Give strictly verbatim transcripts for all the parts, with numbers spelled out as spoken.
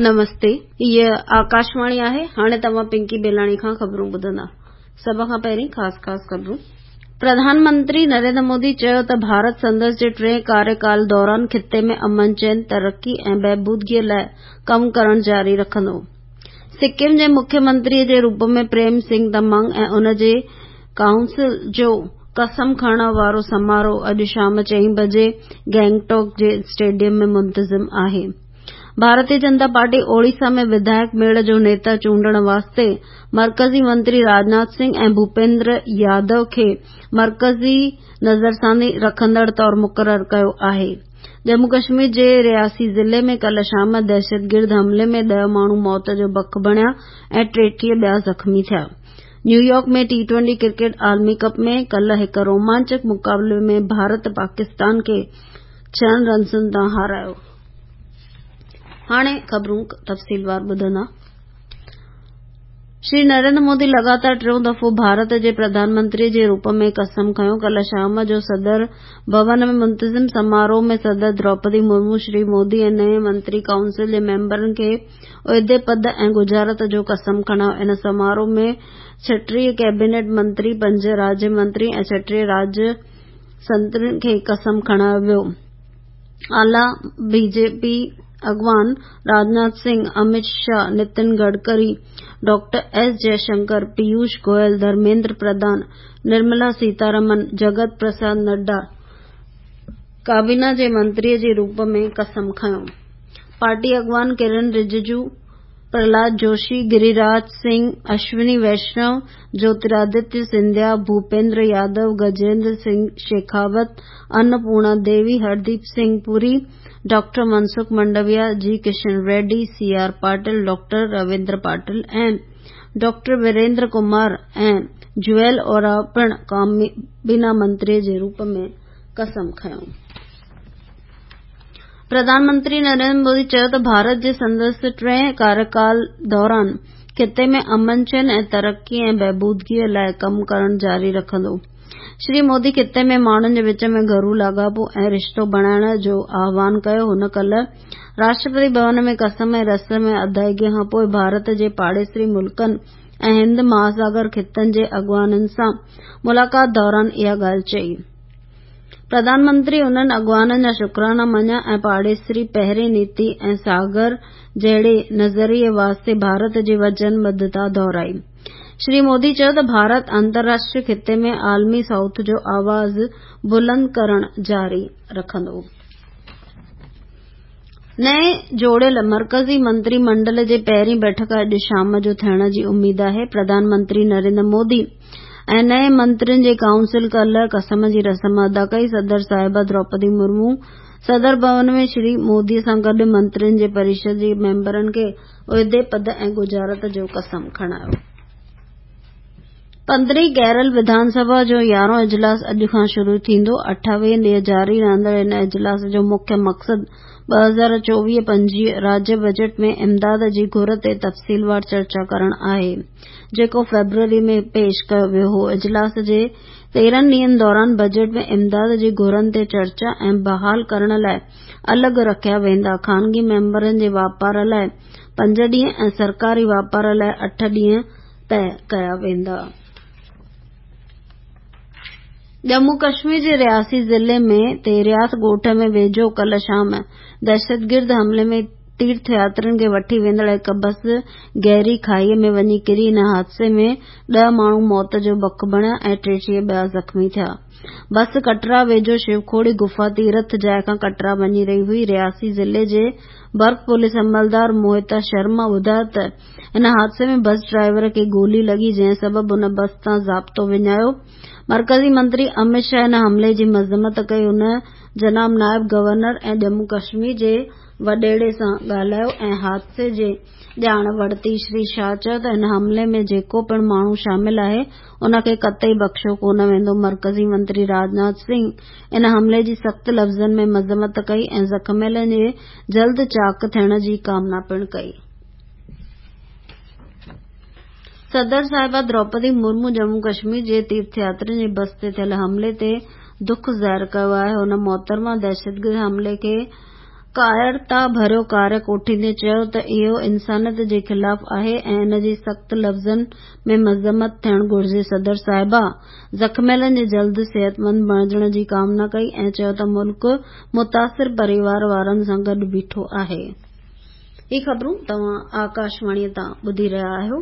نمستي، هيء آڪاشواڻي آهي. هاڻي توهان پنڪي بيلاڻي کان خبرون ٻڌندا. سڀ کان پهرين خاص خاص خبرون. پرڌان منتري نريندر مودي چيو ته ڀارت سندس جي ٽئين ڪاريڪال دوران خطي ۾ امن، چين، ترقي ۽ بهبودگيء لاء ڪم ڪرڻ جاري رکندو. سڪم جي مکيه منتري جي روپ ۾ پريم سنگهه تمانگ ۽ ان جي ڪائونسل جو قسم کڻڻ وارو سماروهه اڄ شام چئين بجي گينگٽوڪ جي اسٽيڊيم ۾ منتظم آهي. ڀارتيه جنتا پارٽي اوڙيسا ۾ وڌايڪ ميڙ جو نيتا چونڊڻ واسطي مرڪزي منتري راجناٿ سنگهه ۽ ڀوپيندر يادو کي مرڪزي نظرثاني رکندڙ طور مقرر ڪيو آهي. ڄمون ڪشمير جي رياسي ضلعي ۾ ڪالهه شام دهشتگرد حملي ۾ ڏهه ماڻهو موت جو بک بڻيا ۽ ٽيٽيهه ٻيا زخمي ٿيا. نيويارڪ ۾ ٽي ٽوئنٽي ڪرڪيٽ عالمي ڪپ ۾ ڪالهه هڪ رومانچڪ مقابلي ۾ ڀارت پاڪستان کي ڇهن رنسن تان هارايو. هاڻي خبرون تفصيلوار ٻڌندا. شري نريندر مودي لڳاتار ٽيون دفعو ڀارت جي پرڌان منتري جي روپ ۾ قسم کنيو. ڪالهه شام جو صدر ڀون ۾ منتظم سماروهه ۾ صدر دروپدي مرمو شري مودي ۽ نئين منتري ڪائونسل جي ميمبرن کي عهدي، پد ۽ ڳجهارت جو قسم کڻايو. ان سماروهه ۾ ڇٽيهه ڪيبينيٽ منتري، پنج راجيه منتري ۽ ڇٽيهه راجيه سنترين کي قسم کڻايو ويو. اعليٰ بي جي پي اڳواڻ راجناٿ سنگهه، امت شاهه، نتن گڊڪري، ڊاڪٽر ايس جئشنڪر، پيوش گويل، ڌرميندر پرڌان، نرملا سيتارمن، جگت پرساد نڊا ڪابينا جي منتري جي روپ ۾ قسم کنيو. پارٽي اڳواڻ ڪرن رججو، پرهلاد جوشي، گريراج سنگهه، اشوني ويشنو، جيوترادتيه سنڌيا، ڀوپيندر يادو، گجيندر سنگهه شيکاوت، انپورڻا ديوي، هرديپ سنگهه پوري، doctor Mansukh Mandaviya, G Kishan Reddy, C R Patil, doctor Ravindra Patil ۽ doctor Virendra Kumar ۽ Jual Oram پڻ ڪابينا منتري جي روپ ۾ قسم کنيو. پرڌان منتري نريندر مودي چيو ته ڀارت جي سندس ٽئين ڪاريڪال دوران خطي ۾ امن، چين ۽ ترقي ۽ بهبودگيء لاء ڪم ڪرڻ جاري رکندو. شري مودي خطي ۾ ماڻهن جي وچ ۾ گهرو لاڳاپو ۽ رشتو بڻائڻ جو آهوان ڪيو. هن ڪالهه راشٽرپتي ڀون ۾ قسم ۽ رسم ادائيگي کان پوءِ ڀارت جي پاڙيسري ملڪن ۽ هند مهاساگر خطن جي اڳواڻن سان ملاقات دوران اها ڳالهه چئي. پرڌان منتري انهن اڳواڻن جا شڪرانا مڃيا ۽ پاڙيسري پهرين نيتي ۽ ساگر جهڙي نظريي واسطي ڀارت جي وچنبڌتا دهرائي. شري مودي چيو ته ڀارت انترراشٽريه خطي ۾ عالمي سائوٿ جو آواز بلند ڪرڻ جاري رکندو. نئين جوڙيل مرڪزي منتري منڊل جي پهرين بيٺڪ اڄ شام جو ٿيڻ جي اميد آهي. پرڌان منتري نريندر مودي ۽ نئين منترين جي ڪائونسل ڪالهه قسم جي رسم ادا ڪئي. صدر صاحبه دروپدي مرمو صدر ڀون ۾ شري مودي سان گڏ منترين جي پريشد جي ميمبرن کي عهدي، پد ۽ ڳجهارت جو قسم کڻايو. پندرهين ڪيرل وڌان سڀا جو يارهون اجلاس اڄ کان شروع ٿيندو. اٺاويهه ڏينهن جاري رهندڙ ان اجلاس جو مکيه مقصد ٻه هزار چوويهه پنجويهه راجيه بجيٽ ۾ امداد جي گهر تي تفصيلوار چرچا ڪرڻ آهي، جيڪو فيبروري ۾ پيش ڪيو ويو هو. اجلاس جي تيرهن ڏينهن دوران بجيٽ ۾ امداد جي گهرن تي چرچا ۽ بحال ڪرڻ لاءِ الڳ رکيا ويندا. خانگي ميمبرن جي واپار لاءِ پنج ڏينهن ۽ سرڪاري واپار لاءِ اٺ ڏينهن طئي ڪيا ويندا. ڄمون ڪشمير جي رياسي ضلعي ۾ تيرياٿ ڳوٺ ۾ ويجهو ڪالهه شام دهشتگرد حملي ۾ تيرٿ ياترين کي وٺي ويندڙ هڪ بس گهري کاهيءَ ۾ وڃي ڪري. ان حادثي ۾ ڏهه ماڻهو موت جو بک بڻيا ۽ ٽيٽيهه ٻيا زخمي ٿيا. بس ڪٽرا ويجهو شوکوڙي گفا تيرٿ جاءِ کان ڪٽرا وڃي رهي هئي. رياسي ضلعي جي برف پوليس عملدار موهتا شرما ٻڌايو ته ان حادثي ۾ بس ڊرائيور کي گولي لڳي، جنهن سبب هن بس تان ضابطو وڃايو. مرڪزي منتري امت شاهه ان حملي جي مذمت ڪئي. هن جناب نائب گورنر ۽ ڄمون ڪشمير جي وڏيري سان ڳالهايو ۽ حادثي جي ڄاڻ ورتي. شري شاهه چيو ته ان حملي ۾ جيڪو پڻ ماڻهو شامل آهي، ان کي قطعي بخشيو ڪونه ويندو. مرڪزي منتري راجناٿ سنگهه ان حملي جي سخت لفظن ۾ مذمت ڪئي ۽ زخمين جي جلد چاق ٿيڻ جي ڪامنا پڻ ڪئي. صدر صاحبه دروپدي مرمو ڄمون ڪشمير جي تيرٿ ياترين جي بس تي ٿيل حملي تي دک ظاهر ڪيو آهي. هن محترمه دهشتگرد حملي کي ڪائرتا ڀريو ڪاريه ڪوٺيندي چيو ته اهو انسانيت جي خلاف آهي ۽ ان جي سخت لفظن ۾ مذمت ٿيڻ گهرجي. صدر صاحبه زخميلن جي جلد صحتمند بڻجڻ جي ڪامنا ڪئي ۽ چيو ته ملڪ متاثر پريوار وارن سان گڏ بيٺو آهي. هي خبرون توهان آڪاشواڻيء تان ٻڌي رهيا آهيو.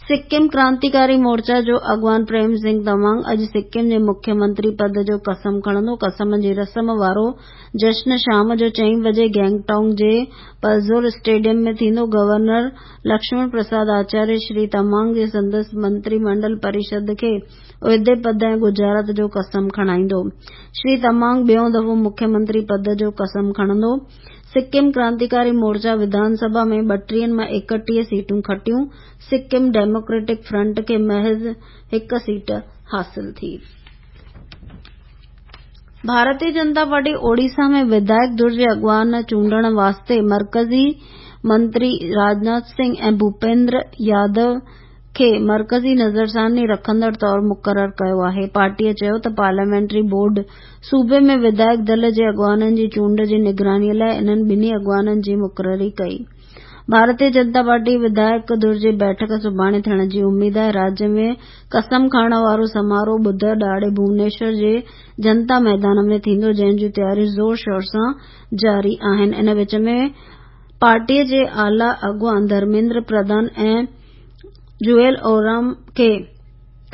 سڪم ڪرانتيڪاري مورچا جو اڳواڻ پريم سنگهه تمانگ اڄ سڪم جي مکيه منتري پد جو قسم کڻندو. قسم جي رسم وارو جشن شام جو چئين بجي گينگٽانگ جي پلزور اسٽيڊيم ۾ ٿيندو. گورنر لڪشمڻ پرساد آچاريه شري تمانگ جي سندس منتري منڊل پريشد کي عهدي پد ۽ ڳجهارت جو قسم کڻائيندو. شري تمانگ ٻيون دفعو مکيه منتري پد جو قسم کڻندو. سڪم ڪرانتيڪاري مورچا وڌان سڀا ۾ ٻٽيهن مان ايڪٽيهه سيٽون کٽيون. سڪم ڊيموڪريٽڪ فرنٽ کي محض هڪ سيٽ حاصل ٿي. ڀارتيه جنتا پارٽي اوڙيسا ۾ وڌايڪ ڌر جي اڳواڻ چونڊڻ واسطي مرڪزي منتري راجناٿ سنگهه ۽ ڀوپيندر يادو کي مرڪزي نظرثاني رکندڙ طور مقرر ڪيو آهي. پارٽيء چيو ته پارليامينٽري بورڊ صوبي ۾ وڌايڪ دل جي اڳواڻن جي چونڊ جي نگرانيء لاء انهن ٻنهي اڳواڻن جي مقرري ڪئي. ڀارتيه جنتا پارٽي وڌايڪ ڌر جي بيٺڪ سڀاڻي ٿيڻ جي اميد آهي. راجيه ۾ قسم کڻڻ وارو سماروهه ٻڌر ڏهاڙي ڀونيشور جي جنتا ميدان ۾ ٿيندو، جنهن جون تياريون زور شور سان جاري آهن. ان وچ ۾ پارٽيء جي اعليٰ اڳواڻ ڌرميندر پرڌان ۽ جوئل اورام کي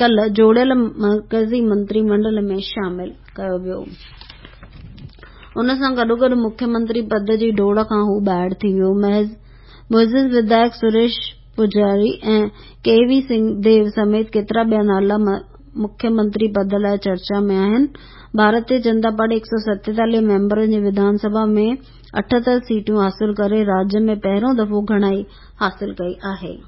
ڪالهه جوڙيل مرڪزي منتري منڊل ۾ شامل ڪيو ويو. ان سان گڏوگڏ مکيه منتري پد جي ڊوڙ کان هو ٻاهر ٿي ويو. معزز وڌايڪ سريش پوجاري ۽ ڪي وي ديو سميت ڪيترا ٻيا نالا مکيه منتري پد لاء چرچا ۾ آهن. ڀارتيه جنتا پارٽي هڪ سؤ ستيتاليهه ميمبرن جي وڌان سڀا ۾ اٺهتر سيٽون حاصل ڪري راجيه ۾ پهريون دفعو گهڻائي حاصل ڪئي آهي.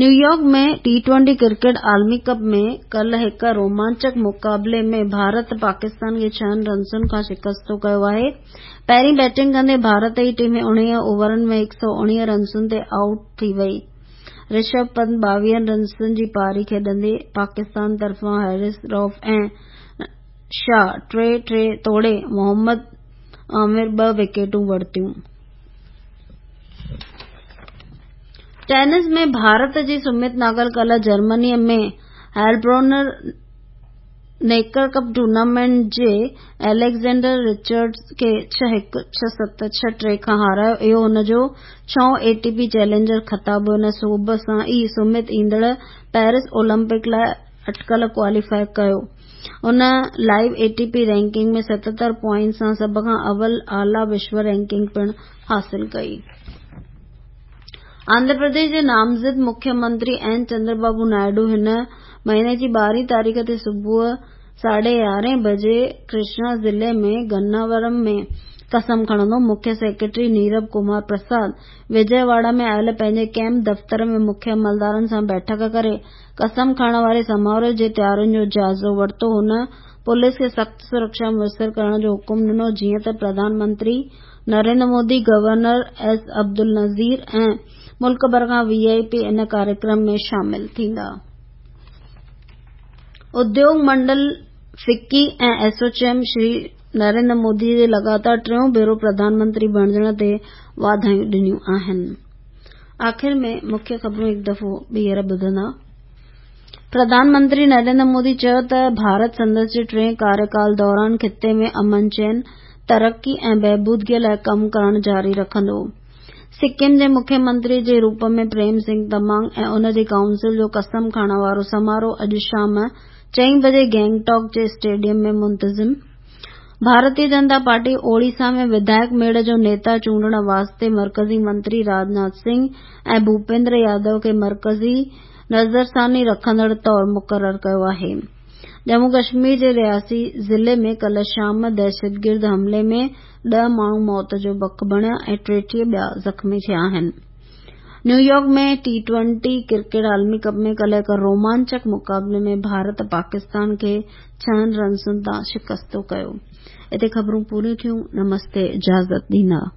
نيويارڪ ۾ ٽي ٽوئنٽي ڪرڪيٽ عالمي ڪپ ۾ ڪالهه هڪ رومانچڪ مقابلي ۾ ڀارت پاڪستان کي ڇهن رنسن کان شڪستو ڪيو آهي. پهرين بيٽنگ ڪندي ڀارت جي ٽيم اڻويهه اوورن ۾ هڪ سؤ اڻويهه رنسن تي آئوٽ ٿي وئي. رشڀ پنت ٻاويهن رنسن جي پاري کيڏندي پاڪستان طرفان حارث رئوف ۽ شاهه ٽي ٽي توڙي محمد عامر ٻه وڪيٽون ورتيون. ٽينس ۾ ڀارت جي سمت ناگل ڪالهه جرمنيء ۾ هائلبرونر نيڪر ڪپ ٽورنامينٽ جي اليگزينڊر رچرڊز کي ڇهه هڪ، ڇهه ست، ڇهه ٽي کان هارايو. اهو هن جو ڇهون اي ٽي پي چئلينجر خطاب هو. ان سوڀ سان ئي سمت ايندڙ پيرس اولمپڪ لاء اٽڪل ڪواليفائي ڪيو. هن live A T P ranking ۾ ستهتر points سان سڀ کان اول اعليٰ وشو رينڪنگ پڻ حاصل ڪئي. آنڌرا پرديش جي نامزد مکيه منتري اين چندربابو نائيڊو هن مهيني جي ٻارهين تاريخ تي صبح ساڍي يارهين بجي ڪرشنا ضلعي ۾ گناورم ۾ قسم کڻندو. مکيه سيڪريٽري نيرڀ ڪمار پرساد وجي واڙا ۾ آيل پنهنجي ڪئمپ دفتر ۾ مکيه عملدارن سان بيٺڪ ڪري قسم کڻڻ واري سماروهه جي تيارين جو جائزو ورتو. هن پوليس کي سخت سرڪشا ميسر ڪرڻ جو حڪم ڏنو، جيئن ته پرڌان منتري نريندر مودي، گورنر ايس عبدالنذير ۽ ملڪ ڀر کان وي I P ان ڪاريڪرم ۾ شامل ٿيندا. اديوگ منڊل فڪي ۽ ايسوچيم شري نريندر مودي جي لڳاتار ٽيون ڀيرو پرڌان منتري بڻجڻ تي واڌايون ڏنيون آهن. آخر ۾ مکيه خبرون هڪ دفعو ٻيهر ٻڌندا. پرڌان منتري نريندر مودي چيو ته ڀارت سندس جي ٽئين ڪاريڪال دوران خطي ۾ امن چين، ترقي ۽ بهبودگي لاء ڪم ڪرڻ جاري رکندو. سڪم جي مکيه منتري جي روپ ۾ پريم سنگهه تمانگ ۽ ان جي ڪائونسل جو قسم کڻڻ وارو سماروهه اڄ شام چئين بجي گينگٽاڪ جي اسٽيڊيم ۾ منتظم. ڀارتيه جنتا پارٽي اوڙيسا ۾ وڌايڪ ميڙ جو نيتا چونڊڻ واسطي مرڪزي منتري راجناٿ سنگهه ۽ ڀوپيندر يادو کي مرڪزي نظرثاني رکندڙ طور مقرر ڪيو آهي. ڄمون ڪشمير جي رياسي ضلعي ۾ ڪالهه شام دهشتگرد حملي ۾ ڏهه ماڻهو موت جو بک بڻيا ۽ ٽيٽيهه ٻيا زخمي ٿيا آهن. نيويارڪ ۾ ٽي ٽوئنٽي ڪرڪيٽ عالمي ڪپ ۾ ڪالهه هڪ رومانچڪ مقابلي ۾ ڀارت پاڪستان کي ڇهن رنسن تان شڪستو ڪيو. اتي خبرون پوريون ٿيون. نمستي، اجازت ڏيندا.